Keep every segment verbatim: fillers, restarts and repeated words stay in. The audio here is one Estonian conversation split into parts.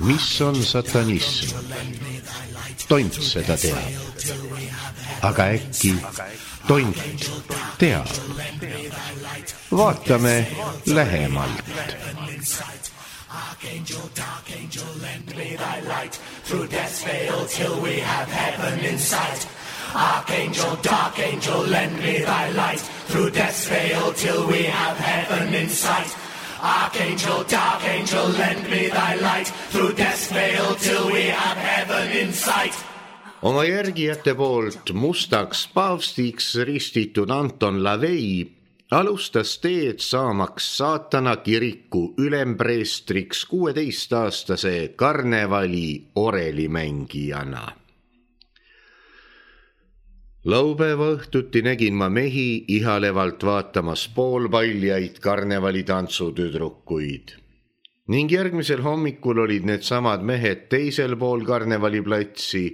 mis on satanism? Tont seda teab. Aga äkki tont teab? Vaatame lähemalt. Archangel, dark angel, lend me thy light through death's veil till we have heaven in sight. Archangel, dark angel, lend me thy light through death's veil till we have heaven in sight. Archangel, dark angel, lend me thy light through death's veil till we have heaven in sight. Oma järgijate poolt mustaks paavstiks ristitud Anton LaVey alustas teed saamaks saatana kiriku ülempreestriks kuueteistaastase karnevali orelimängijana. Laupäeva õhtuti nägin ma mehi ihalevalt vaatamas poolpaljaid karnevali tantsutüdrukuid. Ning järgmisel hommikul olid need samad mehed teisel pool karnevaliplatsi,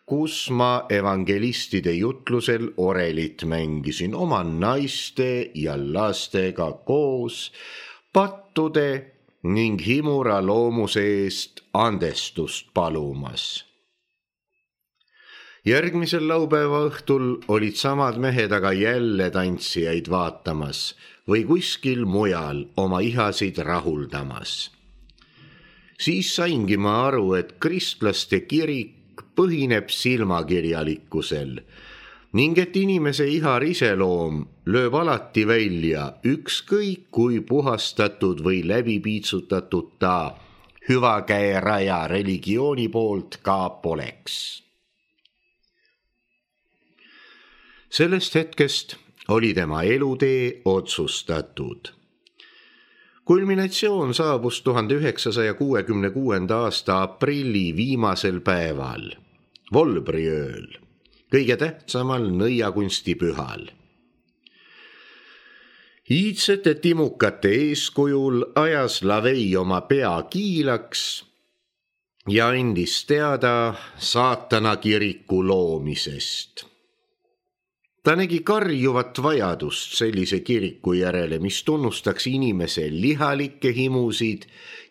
kus ma evangelistide jutlusel orelit mängisin oma naiste ja lastega koos, pattude ning himura loomuse eest andestust palumas. Järgmisel laupäeva õhtul olid samad mehed aga jälle tantsijaid vaatamas või kuskil mujal oma ihasid rahuldamas. Siis saingi ma aru, et kristlaste kirik põhineb silmakirjalikkusel ning et inimese ihar iseloom lööb alati välja ükskõik kui puhastatud või läbipiitsutatud ta hüvakäeraja religiooni poolt ka poleks. Sellest hetkest oli tema elutee otsustatud. Kulminatsioon saabus tuhande üheksasaja kuuekümne kuuenda aasta aprilli viimasel päeval, Volbriööl, kõige tähtsamal nõiakunstipühal. Iidsete timukate eeskujul ajas LaVey oma pea kiilaks ja andis teada saatana kiriku loomisest. Ta nägi karjuvat vajadust sellise kiriku järele, mis tunnustaks inimese lihalikke himusid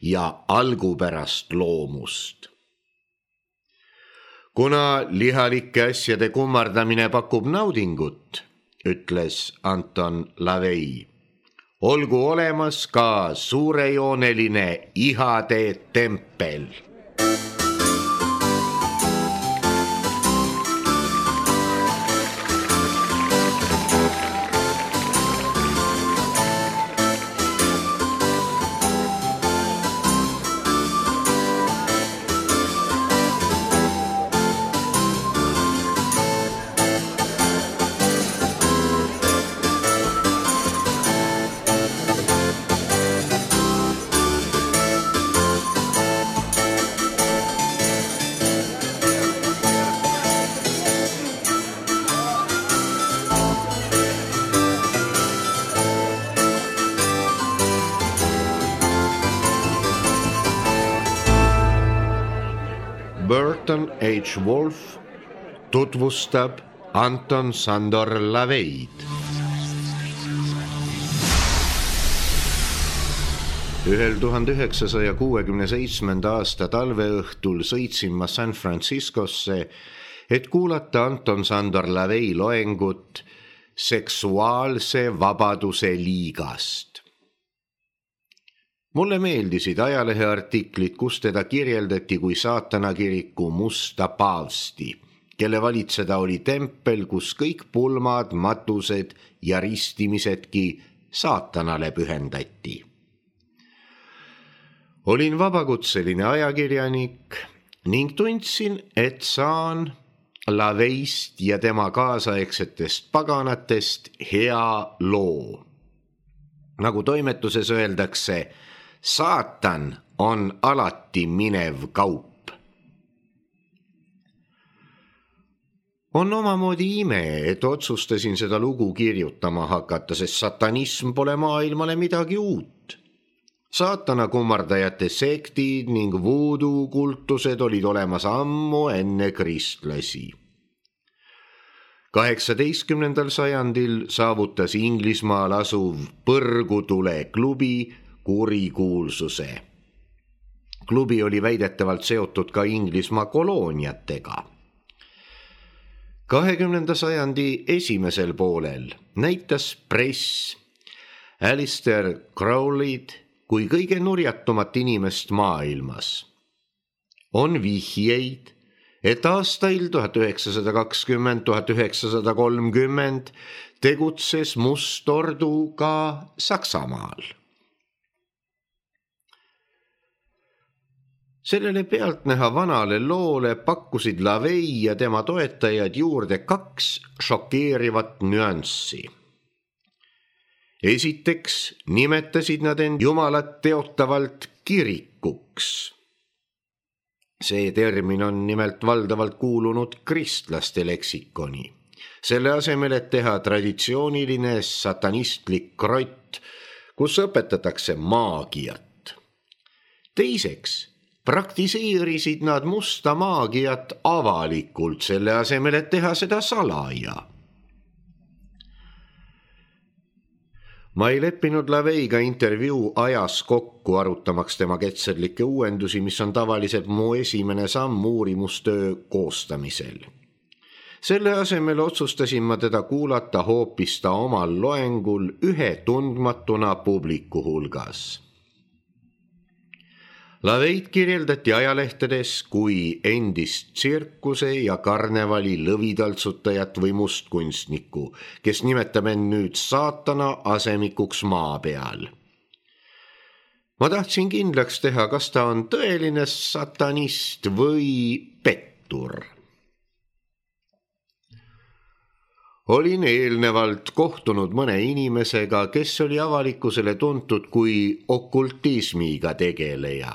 ja algupärast loomust. Kuna lihalike asjade kummardamine pakub naudingut, ütles Anton LaVey, olgu olemas ka suurejooneline ihade tempel. Burton H. Wolf tutvustab Anton Sandor LaVeyd. Ühel tuhande üheksasaja kuuekümne seitsmenda aasta talveõhtul sõitsin ma San Franciscosse, et kuulata Anton Sandor LaVey loengut seksuaalse vabaduse liigast. Mulle meeldisid ajaleheartiklid, kus teda kirjeldati kui saatana kiriku musta paavsti, kelle valitseda oli tempel, kus kõik pulmad, matused ja ristimisedki saatanale pühendati. Olin vabakutseline ajakirjanik ning tundsin, et saan LaVeyst ja tema kaasaegsetest paganatest hea loo. Nagu toimetuses öeldakse, saatan on alati minev kaup. On omamoodi ime, et otsustasin seda lugu kirjutama hakata, sest satanism pole maailmale midagi uut. Saatana kummardajate sektid ning voodoo kultused olid olemas ammu enne kristlasi. kaheksateistkümnendal sajandil saavutas Inglismaal asuv Põrgutule klubi kurikuulsuse. klubi oli väidetavalt seotud ka Inglismaa kolooniatega. kahekümnenda sajandi esimesel poolel näitas press Alistair Crowley'd kui kõige nurjatumat inimest maailmas. On vihjeid, et aastail tuhat üheksasada kakskümmend, tuhat üheksasada kolmkümmend tegutses Must Ordu ka Saksamaal. Sellele pealtnäha vanale loole pakkusid LaVey ja tema toetajad juurde kaks šokeerivat nüanssi. Esiteks nimetasid nad end Jumalat teotavalt kirikuks. See termin on nimelt valdavalt kuulunud kristlaste leksikoni. Selle asemel, et teha traditsiooniline satanistlik krott, kus õpetatakse maagiat. Teiseks praktiseerisid nad musta maagiat avalikult, selle asemel, et teha seda salaja. Ma ei leppinud LaVeyga intervjuu ajas kokku, arutamaks tema ketserlikke uuendusi, mis on tavaliselt mu esimene samm uurimustöö koostamisel. Selle asemel otsustasin ma teda kuulata hoopis ta omal loengul ühe tundmatuna publiku hulgas. LaVey'd kirjeldati ajalehtedes kui endist tsirkuse ja karnevali lõvitaltsutajat või mustkunstnikku, kes nimetab end nüüd saatana asemikuks maa peal. Ma tahtsin kindlaks teha, kas ta on tõeline satanist või pettur. Olin eelnevalt kohtunud mõne inimesega, kes oli avalikkusele tuntud kui okultismiga tegeleja.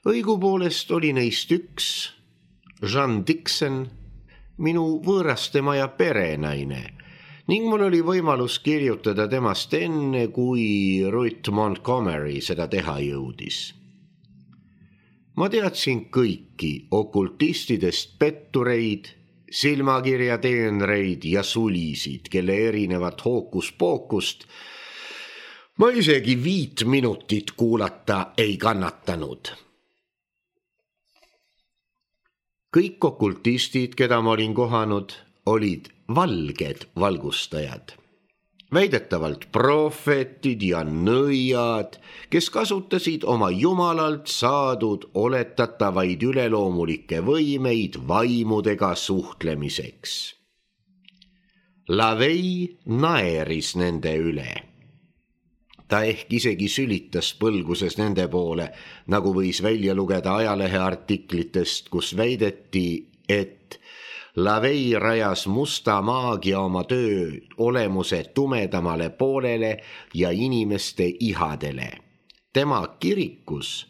Õigupoolest oli neist üks, Jean Dixon, minu võõrastemaja perenaine, ning mul oli võimalus kirjutada temast enne, kui Ruth Montgomery seda teha jõudis. Ma teadsin kõiki okultistidest pettureid, silmakirjateenreid ja sulisid, kelle erinevat hookuspookust ma isegi viit minutit kuulata ei kannatanud. Kõik okultistid, keda ma olin kohanud, olid valged valgustajad. Väidetavalt prohvetid ja nõiad, kes kasutasid oma jumalalt saadud oletatavaid üleloomulikke võimeid vaimudega suhtlemiseks. LaVey naeris nende üle. Ta ehk isegi sülitas põlguses nende poole, nagu võis välja lugeda ajalehe artiklitest, kus väideti, et LaVey rajas musta maagia oma töö olemuse tumedamale poolele ja inimeste ihadele. Tema kirikus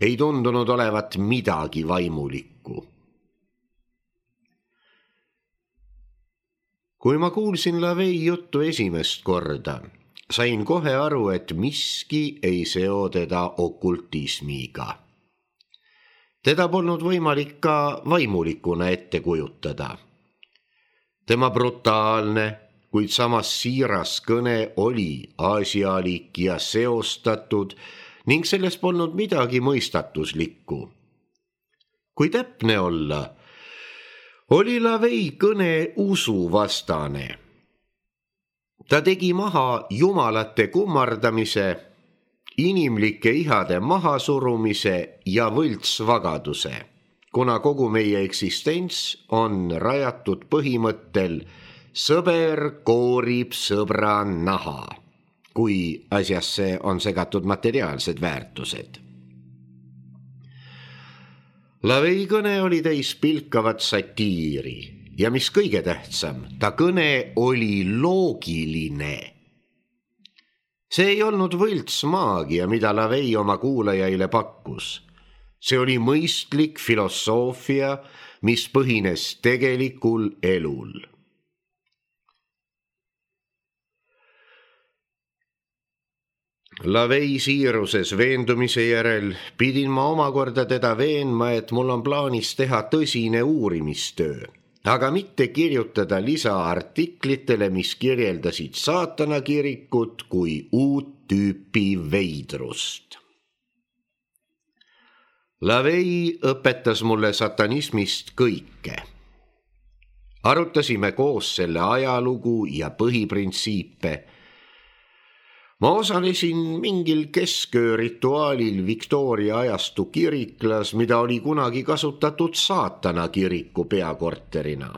ei tundunud olevat midagi vaimulikku. Kui ma kuulsin LaVey juttu esimest korda, sain kohe aru, et miski ei seo teda okultismiga. Teda polnud võimalik ka vaimulikuna ette kujutada. Tema brutaalne, kuid samas siiras kõne oli aasialik ja seostatud ning selles polnud midagi mõistatuslikku. Kui täpne olla, oli LaVey kõne usuvastane. Ta tegi maha jumalate kummardamise, inimlike ihade mahasurumise ja võltsvagaduse, kuna kogu meie eksistents on rajatud põhimõttel sõber koorib sõbra naha, kui asjasse on segatud materiaalsed väärtused. LaVey kõne oli täis pilkavat satiiri ja mis kõige tähtsam, ta kõne oli loogiline. See ei olnud võltsmaagia, mida LaVey oma kuulajaile pakkus. See oli mõistlik filosoofia, mis põhines tegelikul elul. LaVey siiruses veendumise järel pidin ma omakorda teda veenma, et mul on plaanis teha tõsine uurimistöö, aga mitte kirjutada lisaartiklitele, mis kirjeldasid saatanakirikut kui uut tüüpi veidrust. LaVey õpetas mulle satanismist kõike. Arutasime koos selle ajalugu ja põhiprintsiipe. Ma osalesin mingil kesköö rituaalil Victoria ajastu kiriklas, mida oli kunagi kasutatud saatana kiriku peakorterina.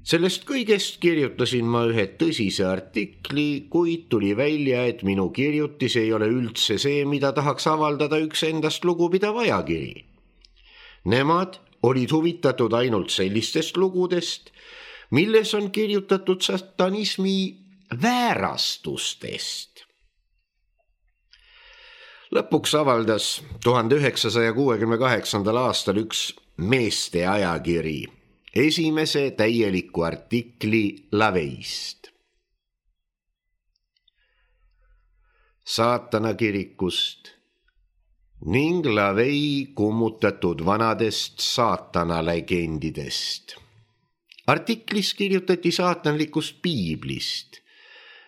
Sellest kõigest kirjutasin ma ühe tõsise artikli, kuid tuli välja, et minu kirjutis ei ole üldse see, mida tahaks avaldada üks endast lugupidav ajakiri. Nemad olid huvitatud ainult sellistest lugudest, milles on kirjutatud satanismi väärastustest. Lõpuks avaldas tuhande üheksasaja kuuekümne kaheksandal aastal üks meeste ajakiri esimese täieliku artikli LaVeyst. Saatana kirikust ning LaVey kummutatud vanadest saatana legendidest. Artiklis kirjutati saatanlikust piiblist,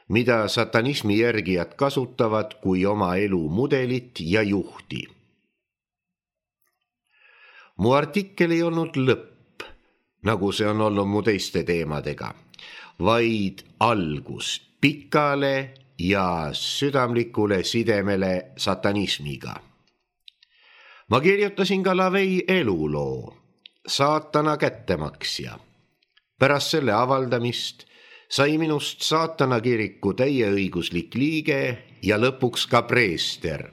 mida satanismi järgijad kasutavad kui oma elu mudelit ja juhti. Mu artikkel ei olnud lõpp, nagu see on olnud mu teiste teemadega, vaid algus pikale ja südamlikule sidemele satanismiga. Ma kirjutasin ka LaVey eluloo, saatana kättemaksja. Pärast selle avaldamist sai minust saatana kiriku täieõiguslik liige ja lõpuks ka preester.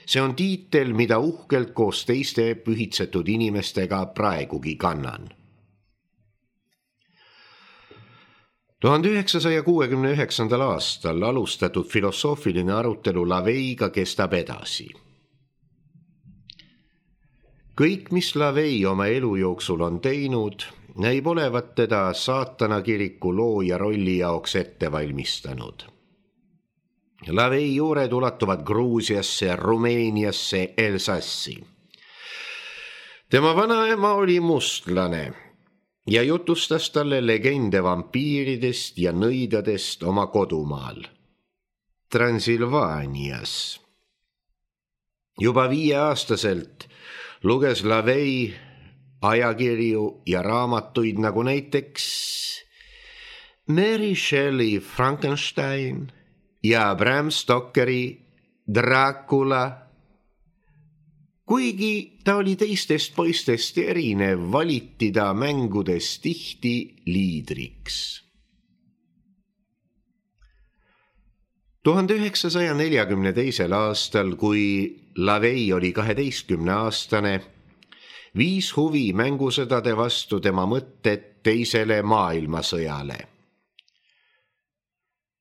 See on tiitel, mida uhkelt koos teiste pühitsetud inimestega praegugi kannan. tuhande üheksasaja kuuekümne üheksandal aastal alustatud filosoofiline arutelu LaVeyga kestab edasi. Kõik, mis LaVey oma elu jooksul on teinud, näib olevat teda saatana kiriku looja rolli jaoks ette valmistanud. LaVey juured ulatuvad Gruusiasse, Rumeeniasse, Elsassi. Tema vanaema oli mustlane ja jutustas talle legende vampiiridest ja nõidadest oma kodumaal, Transilvaanias. Juba viieaastaselt luges LaVey ajakirju ja raamatuid nagu näiteks Mary Shelley Frankenstein ja Bram Stokeri Dracula. Kuigi ta oli teistest poistest erinev, valiti ta mängudes tihti liidriks. tuhande üheksasaja neljakümne teisel aastal, kui LaVey oli kaheteistkümne aastane, viis huvi mängusõdade vastu tema mõtted teisele maailmasõjale.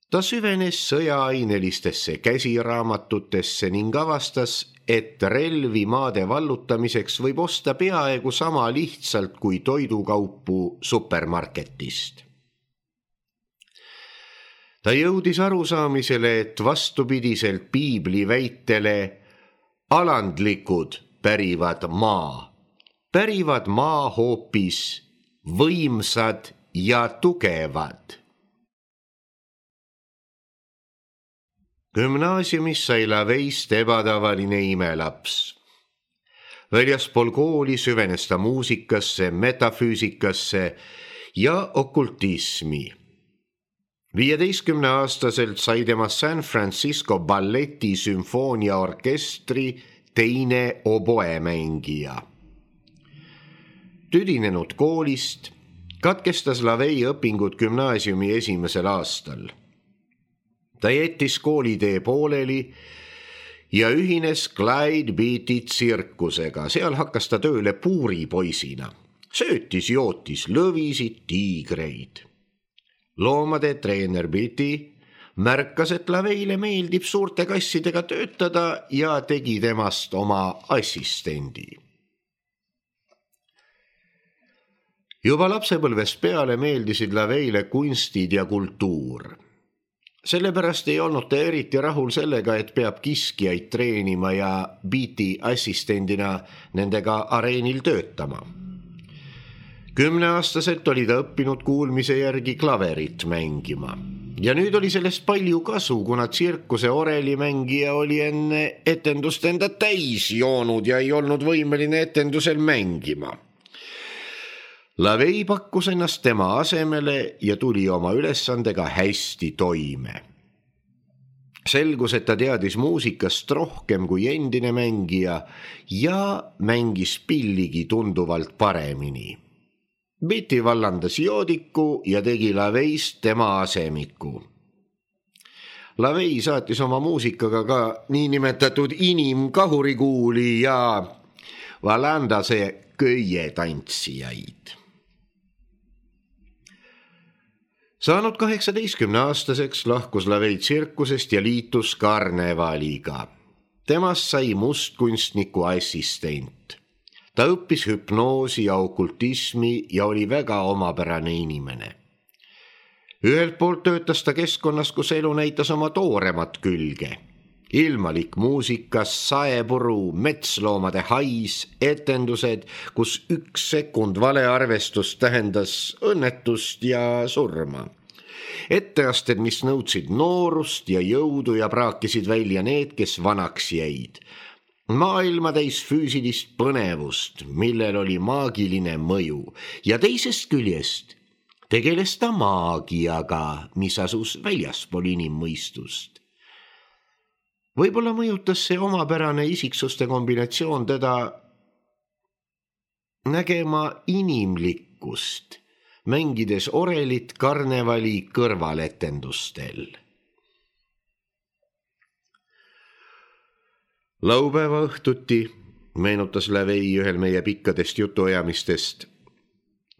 Ta süvenes sõjaainelistesse käsiraamatutesse ning avastas, et relvi maade vallutamiseks võib osta peaaegu sama lihtsalt kui toidukaupu supermarketist. Ta jõudis arusaamisele, et vastupidiselt piibli väitele alandlikud pärivad maa, pärivad maa hoopis võimsad ja tugevad. Gümnaasiumis sai LaVeyst ebatavaline imelaps. Väljaspool kooli süvenes ta muusikasse, metafüüsikasse ja okultismi. viieteistkümne aastaselt sai tema San Francisco balleti sümfooniaorkestri teine oboemängija. Tüdinenud koolist katkestas LaVey õpingud gümnaasiumi esimesel aastal. Ta jättis koolitee pooleli ja ühines Clyde Beatty tsirkusega. Seal hakkas ta tööle puuripoisina. Söötis, jootis lõvisid, tiigreid. Loomade treener Beatty märkas, et LaVey'le meeldib suurte kassidega töötada ja tegi temast oma assistendi. Juba lapsepõlvest peale meeldisid LaVey'le kunstid ja kultuur. Sellepärast ei olnud ta eriti rahul sellega, et peab kiskijaid treenima ja Beatty assistendina nendega areenil töötama. Kümneaastaselt oli ta õppinud kuulmise järgi klaverit mängima. ja nüüd oli sellest palju kasu, kuna tsirkuse orelimängija oli enne etendust enda täis joonud ja ei olnud võimeline etendusel mängima. LaVey pakkus ennast tema asemele ja tuli oma ülesandega hästi toime. Selgus, et ta teadis muusikast rohkem kui endine mängija ja mängis pilligi tunduvalt paremini. Betty vallandas joodiku ja tegi LaVeyst tema asemiku. LaVey saatis oma muusikaga ka niinimetatud inimkahurikuuli ja Vallandase köietantsijaid. Saanud kaheksateistkümne aastaseks lahkus LaVey tsirkusest ja liitus karnevaliga. Temast sai mustkunstniku assistent. Ta õppis hüpnoosi ja okultismi ja oli väga omapärane inimene. Ühelt poolt töötas ta keskkonnas, kus elu näitas oma tooremat külge. Ilmalik muusikas, saepuru, metsloomade hais, etendused, kus üks sekund valearvestus tähendas õnnetust ja surma. Etteasted, mis nõudsid noorust ja jõudu ja praakisid välja need, kes vanaks jäid. Maailma täis füüsilist põnevust, millel oli maagiline mõju ja teisest küljest tegeles ta maagiaga, mis asus väljaspool inimmõistust. Võib-olla mõjutas see omapärane isiksuste kombinatsioon teda nägema inimlikkust, mängides orelit karnevali kõrvaletendustel. Laupäeva õhtuti, meenutas LaVey ühel meie pikkadest jutuajamistest,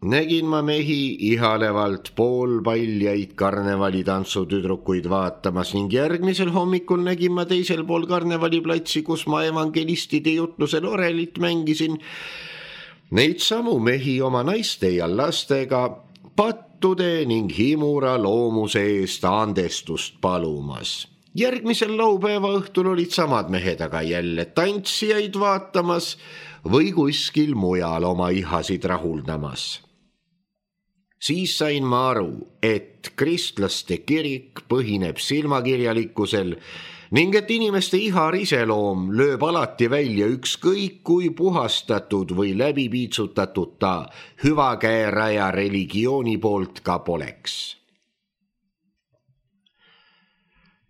nägin ma mehi ihalevalt poolpaljaid karnevalitantsutüdrukuid vaatamas ning järgmisel hommikul nägin ma teisel pool karnevaliplatsi, kus ma evangelistide jutlusel orelit mängisin, neid samu mehi oma naiste ja lastega pattude ning himura loomuse eest andestust palumas. Järgmisel laupäeva õhtul olid samad mehed aga jälle tantsijaid vaatamas või kuskil mujal oma ihasid rahuldamas. Siis sain ma aru, et kristlaste kirik põhineb silmakirjalikkusel ning et inimeste ihar iseloom lööb alati välja ükskõik kui puhastatud või läbipiitsutatud ta hüvakäeraja religiooni poolt ka poleks.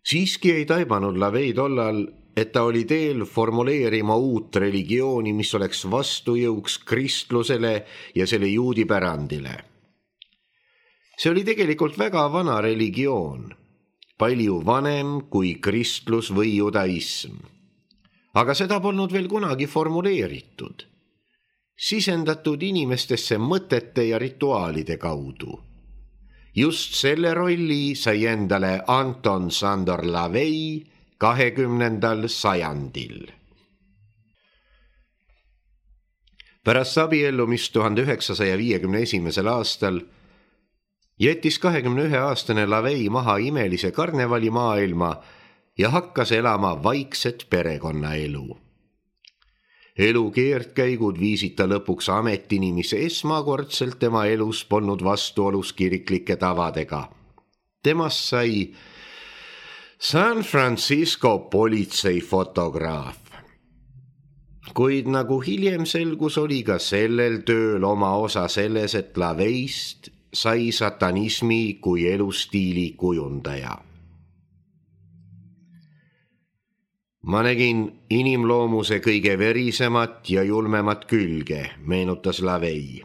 Siiski ei taibanud LaVey tollal, et ta oli teel formuleerima uut religiooni, mis oleks vastujõuks kristlusele ja selle juudi pärandile. See oli tegelikult väga vana religioon, palju vanem kui kristlus või judaism. Aga seda polnud veel kunagi formuleeritud, sisendatud inimestesse mõtete ja rituaalide kaudu. Just selle rolli sai endale Anton Szandor LaVey kahekümnendal sajandil. Pärast abiellumist tuhande üheksasaja viiekümne esimesel aastal jättis kahekümne ühe aastane LaVey maha imelise karnevalimaailma ja hakkas elama vaikset perekonnaelu. Elu keerdkäigud viisid ta lõpuks ametini, mis esmakordselt tema elus polnud vastuolus kiriklike tavadega. Temast sai San Francisco politseifotograaf. Kuid nagu hiljem selgus, oli ka sellel tööl oma osa selles, et LaVeyst sai satanismi kui elustiili kujundaja. Ma nägin inimloomuse kõige verisemat ja julmemat külge, meenutas LaVey.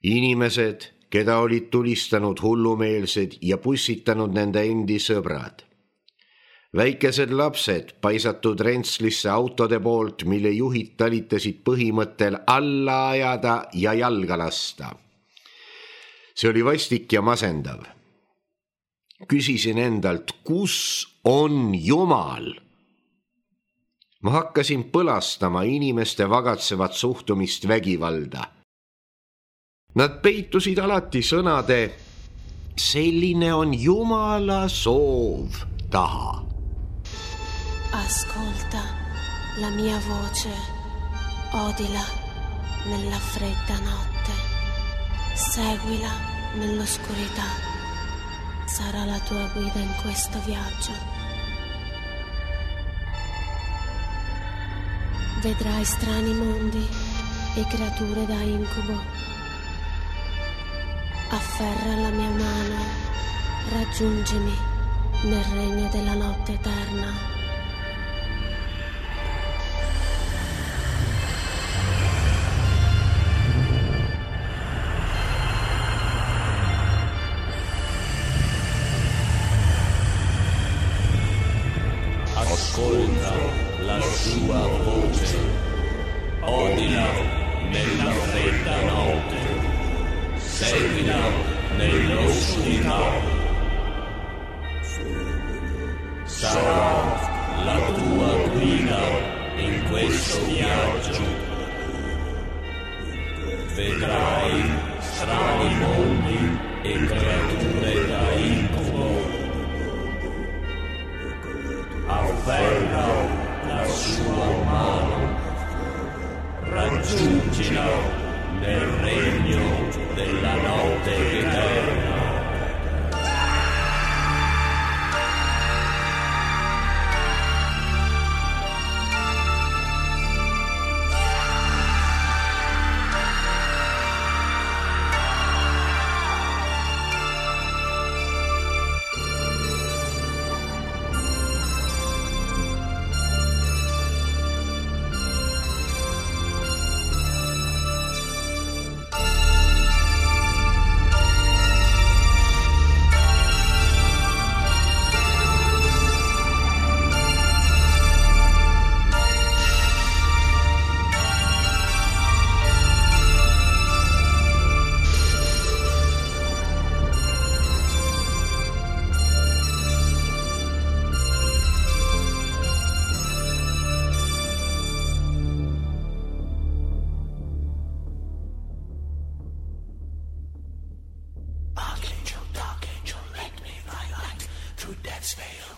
Inimesed, keda olid tulistanud hullumeelsed ja pussitanud nende endi sõbrad. Väikesed lapsed paisatud rentslisse autode poolt, mille juhid talitasid põhimõttel alla ajada ja jalga lasta. See oli vastik ja masendav. Küsisin endalt, kus on Jumal? Ma hakkasin põlastama inimeste vagatsevat suhtumist vägivalda. Nad peitusid alati sõnade selline on Jumala soov taha. Ascolta la mia voce, odila nella fredda notte, seguila nell'oscurità. sarà la tua guida in questo viaggio. Vedrai strani mondi e creature da incubo. Afferra la mia mano, raggiungimi nel regno della notte eterna. Ascolta la sua voce, odila nella fredda notte, seguila nell'oscurità. Sarà la tua guida in questo viaggio. Vedrai strani mondi e creature da incubo. Afferra la sua mano, raggiungila nel regno della notte eterna. Archangel, dark angel, lend me thy light through death's veil.